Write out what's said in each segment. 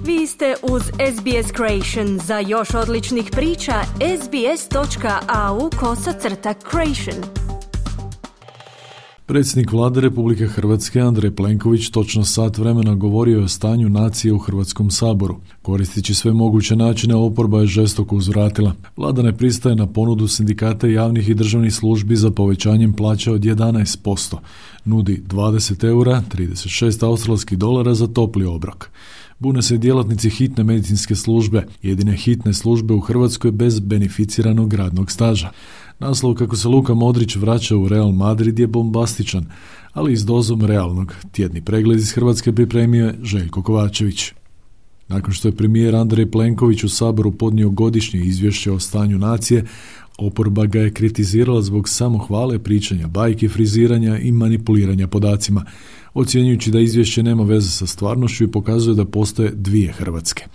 Vi ste uz SBS Creation. Za još odličnih priča, sbs.au/creation. Predsjednik Vlade Republike Hrvatske Andrej Plenković točno sat vremena govorio je o stanju nacije u Hrvatskom saboru. Koristeći sve moguće načine, oporba je žestoko uzvratila. Vlada ne pristaje na ponudu sindikata javnih i državnih službi za povećanjem plaća od 11%. Nudi 20 eura, 36 australskih dolara za topli obrok. Bune se djelatnici hitne medicinske službe, jedine hitne službe u Hrvatskoj bez beneficiranog radnog staža. Naslov kako se Luka Modrić vraća u Real Madrid je bombastičan, ali i s dozom realnog. Tjedni pregled iz Hrvatske pripremio je Željko Kovačević. Nakon što je premijer Andrej Plenković u Saboru podnio godišnje izvješće o stanju nacije, oporba ga je kritizirala zbog samohvale, pričanja bajki, friziranja i manipuliranja podacima, ocjenjujući da izvješće nema veze sa stvarnošću i pokazuje da postoje dvije Hrvatske.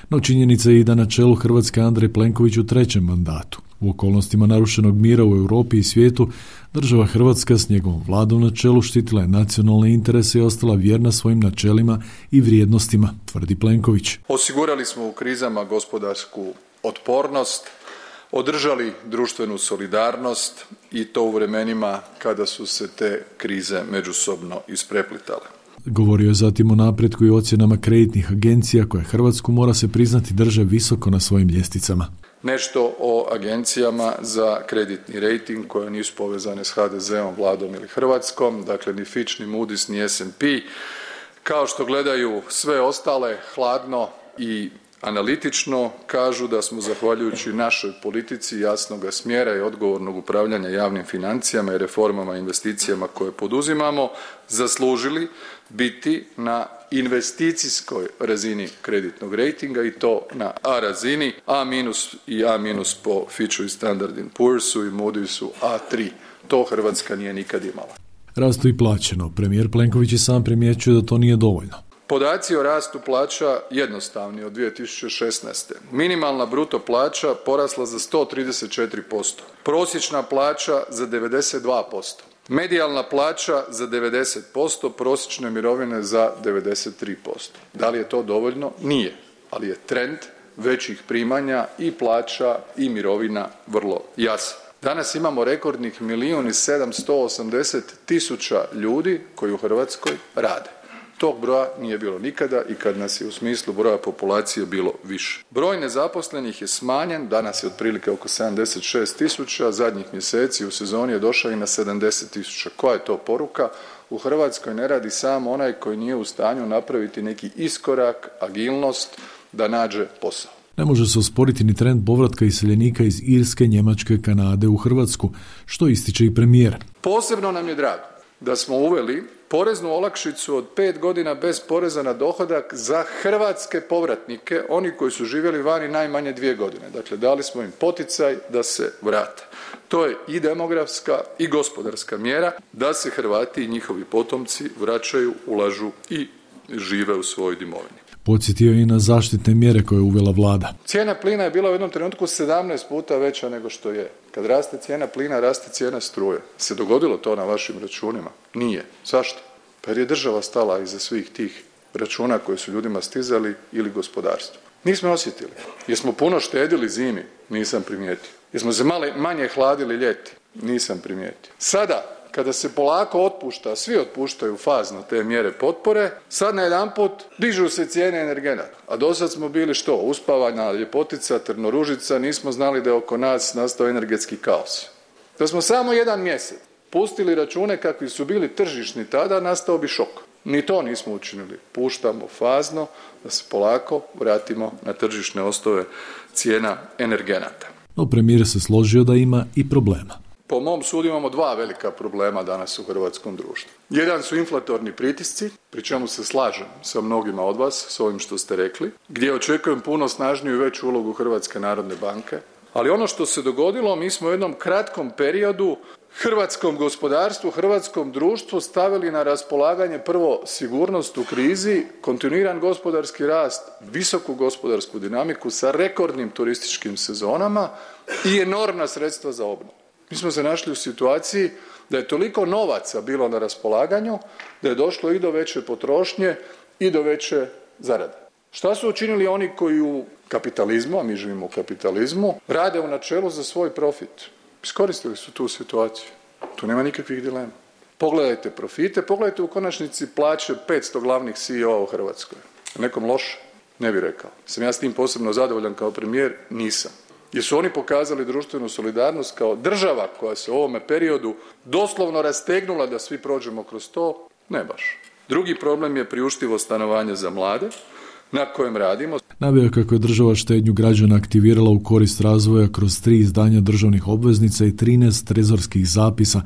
No činjenica je i da na čelu Hrvatske Andrej Plenković u trećem mandatu. U okolnostima narušenog mira u Europi i svijetu, država Hrvatska s njegovom vladom na čelu štitila je nacionalne interese i ostala vjerna svojim načelima i vrijednostima, tvrdi Plenković. Osigurali smo u krizama gospodarsku otpornost, održali društvenu solidarnost i to u vremenima kada su se te krize međusobno ispreplitale. Govorio je zatim o napretku i ocjenama kreditnih agencija koje Hrvatsku, mora se priznati, drže visoko na svojim ljestvicama. Nešto o agencijama za kreditni rejting koje nisu povezane s HDZ-om, Vladom ili Hrvatskom, dakle ni Fitch, ni Moody's, ni S&P. Kao što gledaju sve ostale hladno i analitično, kažu da smo zahvaljujući našoj politici jasnoga smjera i odgovornog upravljanja javnim financijama i reformama i investicijama koje poduzimamo zaslužili biti na investicijskoj razini kreditnog rejtinga i to na A razini, A- i A- po Fitchu i Standard & Poor'su i Moody'su A3. To Hrvatska nije nikad imala. Rastu i plaćeno. Premijer Plenković i sam primjećuje da to nije dovoljno. Podaci o rastu plaća jednostavni od 2016. Minimalna bruto plaća porasla za 134%, prosječna plaća za 92%, medijalna plaća za 90%, prosječne mirovine za 93%. Da li je to dovoljno? Nije, ali je trend većih primanja i plaća i mirovina vrlo jasan. Danas imamo rekordnih 1.780.000 ljudi koji u Hrvatskoj rade. Tog broja nije bilo nikada i kad nas je u smislu broja populacije bilo više. Broj nezaposlenih je smanjen, danas je otprilike oko 76.000, zadnjih mjeseci u sezoni je došao i na 70.000. Koja je to poruka? U Hrvatskoj ne radi samo onaj koji nije u stanju napraviti neki iskorak, agilnost da nađe posao. Ne može se osporiti ni trend povratka iseljenika iz Irske, Njemačke, Kanade u Hrvatsku, što ističe i premijer. Posebno nam je drago da smo uveli poreznu olakšicu od 5 godina bez poreza na dohodak za hrvatske povratnike, oni koji su živjeli vani najmanje 2 godine. Dakle, dali smo im poticaj da se vrate. To je i demografska i gospodarska mjera da se Hrvati i njihovi potomci vraćaju, ulažu i žive u svojoj domovini. Podsjetio je i na zaštitne mjere koje je uvela vlada. Cijena plina je bila u jednom trenutku 17 puta veća nego što je. Kad raste cijena plina, raste cijena struje. Se dogodilo to na vašim računima? Nije. Zašto? Pa jer je država stala iza svih tih računa koji su ljudima stizali ili gospodarstvu. Nismo osjetili. Jesmo puno štedili zimi? Nisam primijetio. Jesmo se manje hladili ljeti? Nisam primijetio. Sada, kada se polako otpušta, svi otpuštaju fazno te mjere potpore, sad najedanput dižu se cijene energenata. A dosad smo bili što? Uspavana ljepotica, trnoružica, nismo znali da je oko nas nastao energetski kaos. Da smo samo jedan mjesec pustili račune kakvi su bili tržišni tada, nastao bi šok. Ni to nismo učinili. Puštamo fazno da se polako vratimo na tržišne osnove cijena energenata. No premijer se složio da ima i problema. Po mom sudu imamo 2 velika problema danas u hrvatskom društvu. Jedan su inflatorni pritisci, pri čemu se slažem sa mnogima od vas, s ovim što ste rekli, gdje očekujem puno snažniju i veću ulogu Hrvatske narodne banke. Ali ono što se dogodilo, mi smo u jednom kratkom periodu hrvatskom gospodarstvu, hrvatskom društvu stavili na raspolaganje prvo sigurnost u krizi, kontinuiran gospodarski rast, visoku gospodarsku dinamiku sa rekordnim turističkim sezonama i enormna sredstva za obnovu. Mi smo se našli u situaciji da je toliko novaca bilo na raspolaganju da je došlo i do veće potrošnje i do veće zarade. Šta su učinili oni koji u kapitalizmu, a mi živimo u kapitalizmu, rade u načelu za svoj profit? Iskoristili su tu situaciju. Tu nema nikakvih dilema. Pogledajte profite, pogledajte u konačnici plaće 500 glavnih CEO u Hrvatskoj. Nekom loše? Ne bih rekao. Sam ja s tim posebno zadovoljan kao premijer? Nisam. Jer su oni pokazali društvenu solidarnost kao država koja se u ovome periodu doslovno rastegnula da svi prođemo kroz to? Ne baš. Drugi problem je priuštivo stanovanje za mlade, na kojem radimo. Naveo kako je država štednju građana aktivirala u korist razvoja kroz 3 izdanja državnih obveznica i 13 trezorskih zapisa,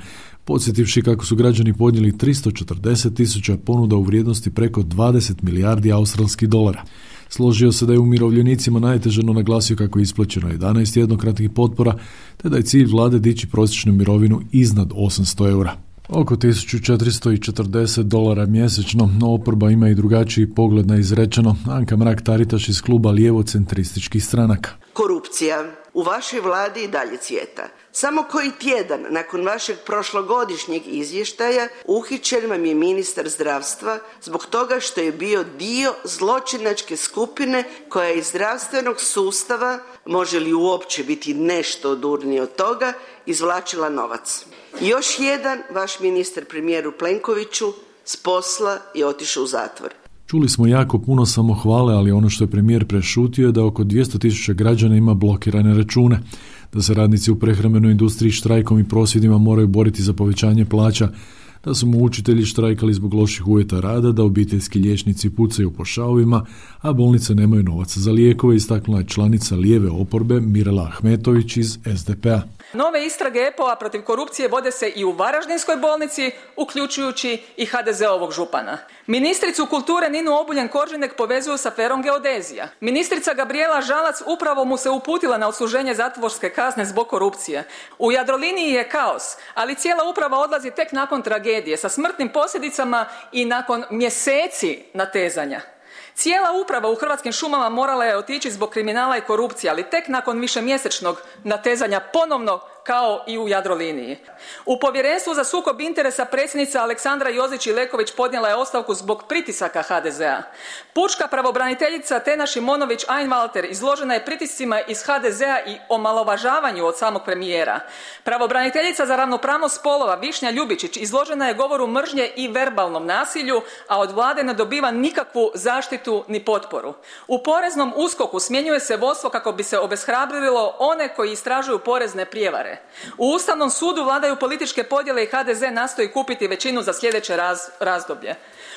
podsjetivši kako su građani podnijeli 340.000 ponuda u vrijednosti preko 20 milijardi australskih dolara. Složio se da je umirovljenicima najteže, no naglasio kako je isplaćeno 11 jednokratnih potpora, te da je cilj vlade dići prosječnu mirovinu iznad 800 eura. Oko $1.440 mjesečno, no oporba ima i drugačiji pogled na izrečeno. Anka Mrak-Taritaš iz kluba lijevo-centrističkih stranaka. Korupcija u vašoj vladi i dalje cvjeta. Samo koji tjedan nakon vašeg prošlogodišnjeg izvještaja uhićen vam je ministar zdravstva zbog toga što je bio dio zločinačke skupine koja iz zdravstvenog sustava, može li uopće biti nešto odurnije od toga, izvlačila novac. I još jedan vaš ministar premijeru Plenkoviću s posla je otišao u zatvor. Čuli smo jako puno samohvale, ali ono što je premijer prešutio je da oko 200.000 građana ima blokirane račune, da se radnici u prehrambenoj industriji štrajkom i prosvjedima moraju boriti za povećanje plaća, da su mu učitelji štrajkali zbog loših uvjeta rada, da obiteljski liječnici pucaju po šavovima, a bolnice nemaju novaca za lijekove, istaknula je članica lijeve oporbe Mirela Ahmetović iz SDP-a. Nove istrage EPO-a protiv korupcije vode se i u Varaždinskoj bolnici, uključujući i HDZ-ovog župana. Ministricu kulture Ninu Obuljen-Koržinek povezuju s aferom geodezija. Ministrica Gabrijela Žalac upravo mu se uputila na odsluženje zatvorske kazne zbog korupcije. U Jadroliniji je kaos, ali cijela uprava odlazi tek nakon tragedije, sa smrtnim posljedicama i nakon mjeseci natezanja. Cijela uprava u Hrvatskim šumama morala je otići zbog kriminala i korupcije, ali tek nakon višemjesečnog natezanja ponovno kao i u Jadroliniji. U Povjerenstvu za sukob interesa predsjednica Aleksandra Jozić-Ileković podnijela je ostavku zbog pritisaka HDZ-a. Pučka pravobraniteljica Tena Šimonović-Einwalter izložena je pritiscima iz HDZ-a i omalovažavanju od samog premijera. Pravobraniteljica za ravnopravnost spolova Višnja Ljubičić izložena je govoru mržnje i verbalnom nasilju, a od vlade ne dobiva nikakvu zaštitu ni potporu. U poreznom USKOK-u smjenjuje se vodstvo kako bi se obeshrabrilo one koji istražuju porezne prijevare. U Ustavnom sudu vladaju političke podjele i HDZ nastoji kupiti većinu za sljedeće razdoblje.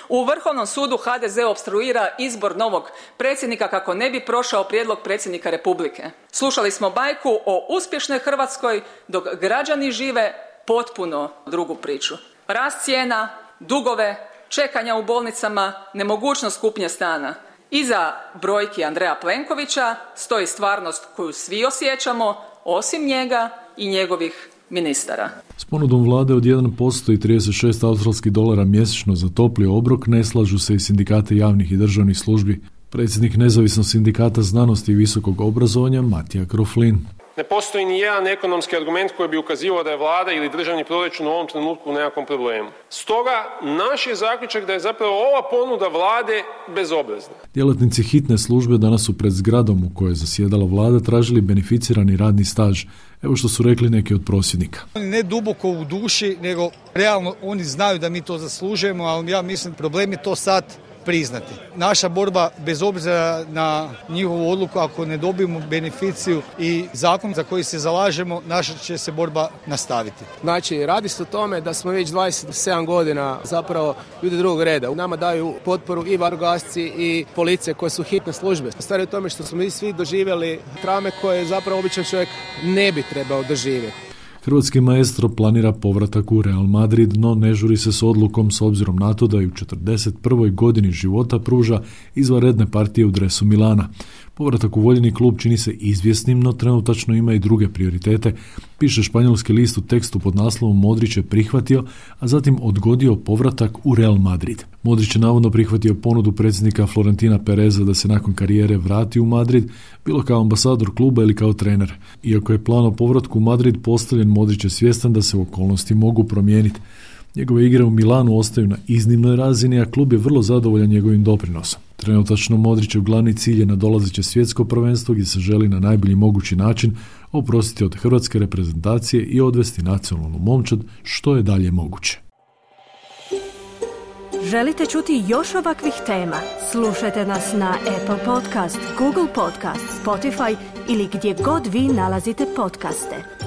U Vrhovnom sudu HDZ opstruira izbor novog predsjednika kako ne bi prošao prijedlog predsjednika Republike. Slušali smo bajku o uspješnoj Hrvatskoj dok građani žive potpuno drugu priču. Rast cijena, dugove, čekanja u bolnicama, nemogućnost kupnje stana. Iza brojki Andreja Plenkovića stoji stvarnost koju svi osjećamo, osim njega i njegovih ministara. S ponudom vlade od 1% i $36 mjesečno za topli obrok ne slažu se i sindikate javnih i državnih službi. Predsjednik Nezavisnog sindikata znanosti i visokog obrazovanja Matija Kroflin. Ne postoji ni jedan ekonomski argument koji bi ukazivao da je vlada ili državni proračun u ovom trenutku u nekakvom problemu. Stoga, naš je zaključak da je zapravo ova ponuda vlade bezobrazna. Djelatnici hitne službe danas su pred zgradom u kojoj je zasjedala vlada tražili beneficirani radni staž. Evo što su rekli neki od prosvjednika. Ne duboko u duši, nego realno oni znaju da mi to zaslužujemo, ali ja mislim problem je to sad priznati. Naša borba, bez obzira na njihovu odluku, ako ne dobijemo beneficiju i zakon za koji se zalažemo, naša će se borba nastaviti. Znači, radi se o tome da smo već 27 godina zapravo ljudi drugog reda. U nama daju potporu i vatrogasci i policije koje su hitne službe. Stvari o tome što smo mi svi doživjeli traume koje zapravo običan čovjek ne bi trebao doživjeti. Hrvatski maestro planira povratak u Real Madrid, no ne žuri se s odlukom s obzirom na to da je u 41. godini života pruža izvanredne partije u dresu Milana. Povratak u voljeni klub čini se izvjesnim, no trenutačno ima i druge prioritete, piše španjolski list u tekstu pod naslovom Modrić je prihvatio, a zatim odgodio povratak u Real Madrid. Modrić je navodno prihvatio ponudu predsjednika Florentina Pereza da se nakon karijere vrati u Madrid, bilo kao ambasador kluba ili kao trener. Iako je plan o povratku u Madrid postavljen, Modrić je svjestan da se okolnosti mogu promijeniti. Njegove igre u Milanu ostaju na iznimnoj razini, a klub je vrlo zadovoljan njegovim doprinosom. Trenutačno Modrićev glavni cilj je nadolazeće svjetsko prvenstvo gdje se želi na najbolji mogući način oprostiti od hrvatske reprezentacije i odvesti nacionalnu momčad što je dalje moguće. Želite čuti još ovakvih tema? Slušajte nas na Apple Podcast, Google Podcast, Spotify ili gdje god vi nalazite podcaste.